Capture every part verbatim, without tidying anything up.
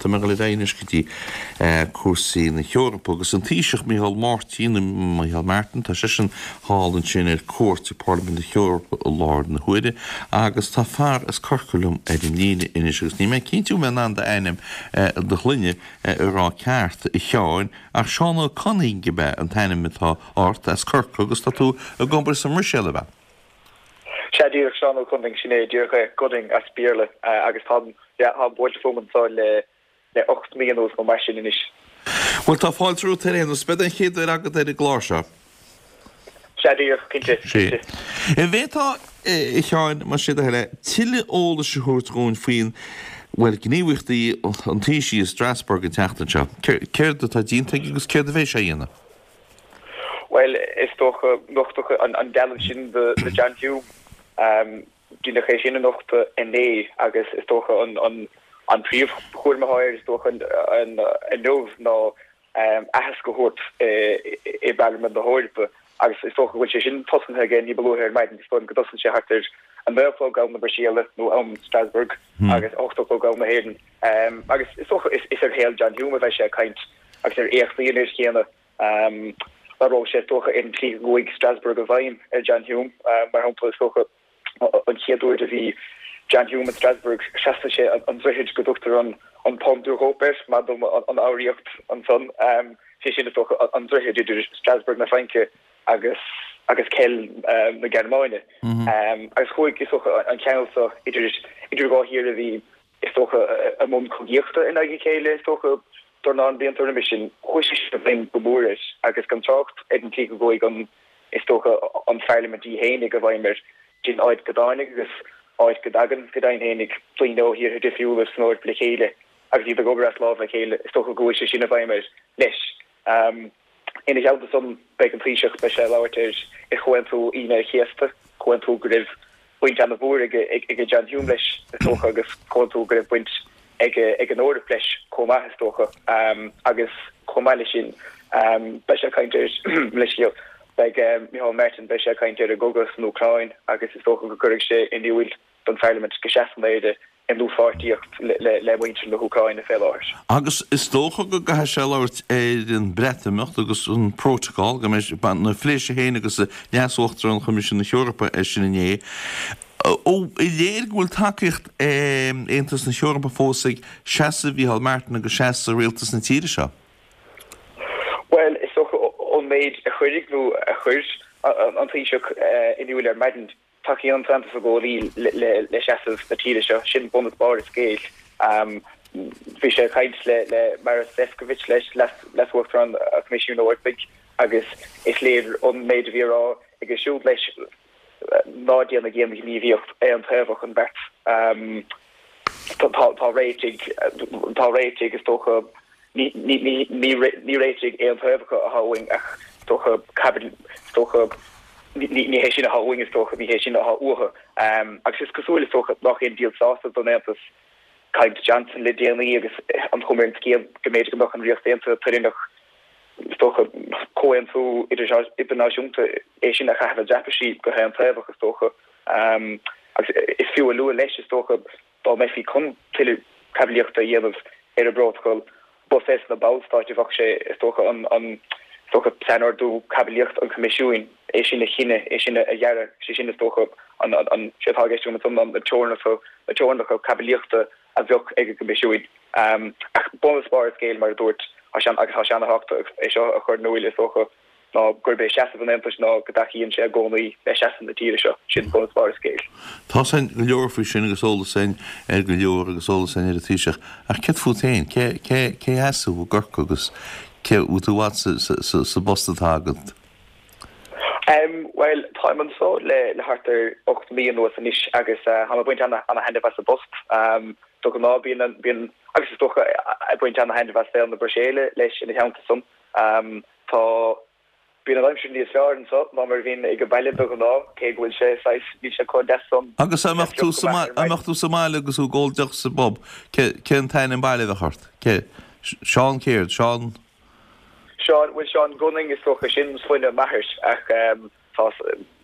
Tá mé ag dul ar aghaidh anois go dtí cúrsaí na hEorpa agus an Taoiseach Micheál Máirtín, Micheál Martin, tá seisean thall ansin ar cuairt i Parlaimint na hEorpa i láthair na huaire agus tá fear as Corcaigh liom ar an líne anois agus níl mé cinnte an bhfuil mé in ann d'ainm, do shloinne a rá ceart, a Sheáin, ach Seán Ó Conaing ab ea an t-ainm atá ort, as Corcaigh agus tá tú ag obair sa mBruiséil, ab ea? Sea, díreach, Seán Ó Conaing, sin é díreach é, Gunning as Béarla, agus táim, yeah, táim buailte fúm anseo le, le ocht mí anuas nó mar sin anois. Bhuel, tá fáilte romhat ar aon nós. Beidh an chéad uair agat ar an gclár seo. Sea, díreach, cinnte, cinnte. An bhféadfá, a Sheáin, más é do thoil é, tuilleadh eolais a thabhairt dhúinn faoin, bhuel, gníomhaíochtaí an Taoisigh i Strasbourg an tseachtain seo? Céard atá déanta aige agus céard a bheidh sé a dhéanamh? Bhuel, is dócha, nochtadh an dealbh sin de John Hume, deineadh é sin a nochtadh inné agus is dócha an príomhchúram atá air, is dócha, inniu ná aitheasc a thabhairt i bParlaimint na hEorpa agus is dócha go bhfuil sé sin tosnaithe aige ní ba luaithe ar maidin, is dóigh liom go dtosaíonn sé thart ar a naoi a chlog am na Bruiséile nó am Strasbourg agus a hocht a chlog am na hÉireann. Agus is dócha is ar shaol John Hume a bheidh sé ag caint agus ar éachtaí an fhir chéanna. Labhróidh sé, is dócha, ar an tslí go gcuaigh Strasbourg i bhfeidhm ar John Hume. Mar shampla, is dócha, an chéad uair a bhí John Hume in Strasbourg, thrasnaigh sé an droichead go dtugtar an Pont d'Europe air, maith dom an fhoghraíocht ansan. Sé sin, is dócha, an droichead idir Strasbourg na Fraince agus agus Köln na Gearmáine. Agus chuaigh, is dócha, an ceangal seo idir idir dhá thír a bhí, is dócha, i mbun cogaíochta in aghaidh a chéile, is dócha, dornán blianta roimis sin. Chuaigh sé sin i bhfeidhm go mór air agus gan trácht ar an tslí go gcuaigh an, is dócha, an Pharlaimint í fhéinig i bhfeidhm air, sin áit go dtáinig agus áit go dtagann, go deimhin fhéinig, daoine ó thíortha difriúla san Eoraip le chéile agus iad ag obair as lámh le chéile, is dócha go gcuaigh sé sin i bhfeidhm air leis. Ina theannta san, beidh an Taoiseach, beidh sé ag labhairt ar ar Chomhaontú Aoine an Chéasta, comhaontú go raibh baint ana-mhór ag ag John Hume leis, is dócha, agus comhaontú go raibh baint ag ag an Eoraip leis chomh maith, is dócha. Agus chomh maith leis sin, beidh sé ag caint ar, leithscéal, beidh Micheál Martin, beidh sé ag caint ar an gcogadh san Úcráin agus is dócha go gcuirfidh sé in iúil don Pharlaimint go seasann Éire i ndlúthpháirtíocht le muintir na hÚcráine fé láthair. Agus is dócha go gcaithfidh sé labhairt ar an Breatimeacht agus an Protocol, go mbeidh, nó phléigh sé féin agus Leas-Uachtarán Choimisiún na hEorpa air sin inné. Ó, is léir go bhfuil tacaíocht Aontas na hEorpa fós ag seasamh Mhícheál Martin agus seasamh rialtas na tíre seo. Bhuel, is dócha ón méid a chuirfidh nó a chuir an Taoiseach in iúil ar maidin, Tacaíonn an tAontas i gcónaí le seasamh na tíre seo, sin bun is barr an scéil. Bhí sé ag caint le Maros Sefcovic leis, Leas-Uachtarán an Choimisiúin Eorpaigh, agus is léir ón méid a bhí á rá aige siúd leis ná déanaigí aon ghníomhaíocht aontaobhach an bheirt. Tá réitigh, tá réitigh is dócha, ní réitigh aontaobhacha atá uainn ach is dócha caibidil, is dócha, ní hé sin atá uainn is dócha, ní hé sin atá uathu. Agus is cosúil is dócha nach aon díol sásaimh don Aontas caint Johnson le déanaí agus an chuma ar an scéal go mb'fhéidir go mbeadh an Ríocht Aontaithe toilteanach is dócha comhaontú idirnáisiúnta é sin a chaitheamh i dtraipisí go haontaobhach is dócha. Agus is fiú a lua leis is dócha Dá mbeifí chun tuilleadh caibidlíochta a dhéanamh ar an bprótacal, ba fés na Ballstáit a bheadh sé, is dócha, an, is dócha, sainordú caibidlíochta an Choimisiúin, é sin a chinneadh, é sin a dhearadh, sé sin, is dócha, an, an, sé atá i gceist agam ansan ná na teorainneacha, na teorainneacha caibidlíochta a bheadh ag an gCoimisiúin. Ach bun is barr an scéil, mar a dúirt, tá sé, agus tá sé ana-thábhachtach é seo a chur in iúil, is dócha, ná gurb é seasamh an Aontais ná go dtacaíonn sé i gcónaí le seasamh na tíre seo. Sin bun is barr an scéil. Tá 's againn go leor faoi sin agus eolas againn ar go leor agus eolas againn ar an Taoiseach. Ach céard fút féin? Cé, cé, cé as thú i gCorcaigh agus cé, bhfuil tú i bhfad sa, sa, sa, sa bpost atá agat? Em, bhuel, táim anso le, le thart ar ocht mí anuas anois agus eh, táim ag baint ana, ana-thaitneamh as an bpost. Em, de ghnáth bíonn an, bíonn, agus is dócha ag baint ana-thaitneamh as saol na Bruiséile leis ina theannta san. Em, Tá, bíonn an aimsir níos fearr anseo ná mar a bhíonn ag baile de ghnáth, cé go bhfuil sé saghas, níl sé chomh deas san, Agus dá mbeadh tú sa mbaile, dá mbeadh tú sa mbaile agus tú ag ól deoch sa bpub, cé, cén t-ainm baile a bheadh ort? Cé, Seán céard? Seán? Seán, bhuel Seán Gunning is dócha, sin sloinne m'athar ach tá,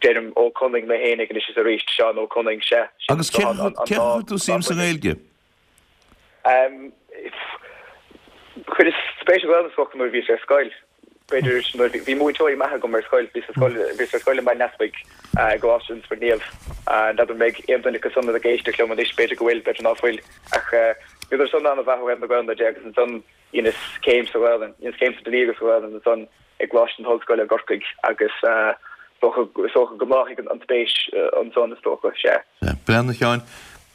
deirim Ó Conaing mé fhéinig anois is arís, Seán Ó Conaing, sea, sin Agus cé, an, an cé dá, chuir tú an dá suim sa shloinne. nGaeilge? Em, Chuireas spéis sa Ghaelainn is dócha nuair a bhíos ar scoil. B'fhéidir nuair bhí múinteoirí maithe agam ar scoil, bhíos ar scoil, bhíos ar scoil i mBaile an Easpaig i gColáiste an Spioraid Naoimh. N'fheadar an mbeidh aon duine acu san ag éisteacht liom anois, b'fhéidir go bhfuil, b'fhéidir ná fuil, ach bhíodar san an-mhaith ó thaobh na Gaelainne de agus ansan dheineas céim sa Ghaelainn, dheineas céim sa dlí agus sa Ghaelainn ansan i gColáiste na hOllscoile i gCorcaigh agus is dócha, is dócha go mbláthaigh an spéis ansan is dócha, sea. Breathnaigh a Sheáin,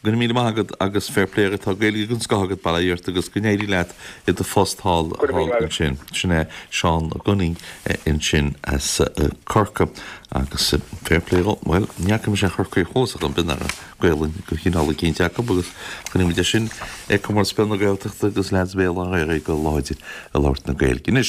Go raibh míle maith agat agus fair play agat, tá Gaeilge den scoth agat, bail ó Dhia ort agus go n-éirí leat i do phost thall ansin. Sin é Seán Gunning ansin as Corcaigh agus fair play dhó. Bhuel, ní fhaca mise aon Chorcaíoch fós ach an b'in ar Gaelainn de chineál eicínt acu agus choinnigh muid é sin ag Comórtas Peile na Gaeltachta agus leaids Bhéal Átha Ghaorthaidh go láidir ag labhairt na Gaeilge. Anois.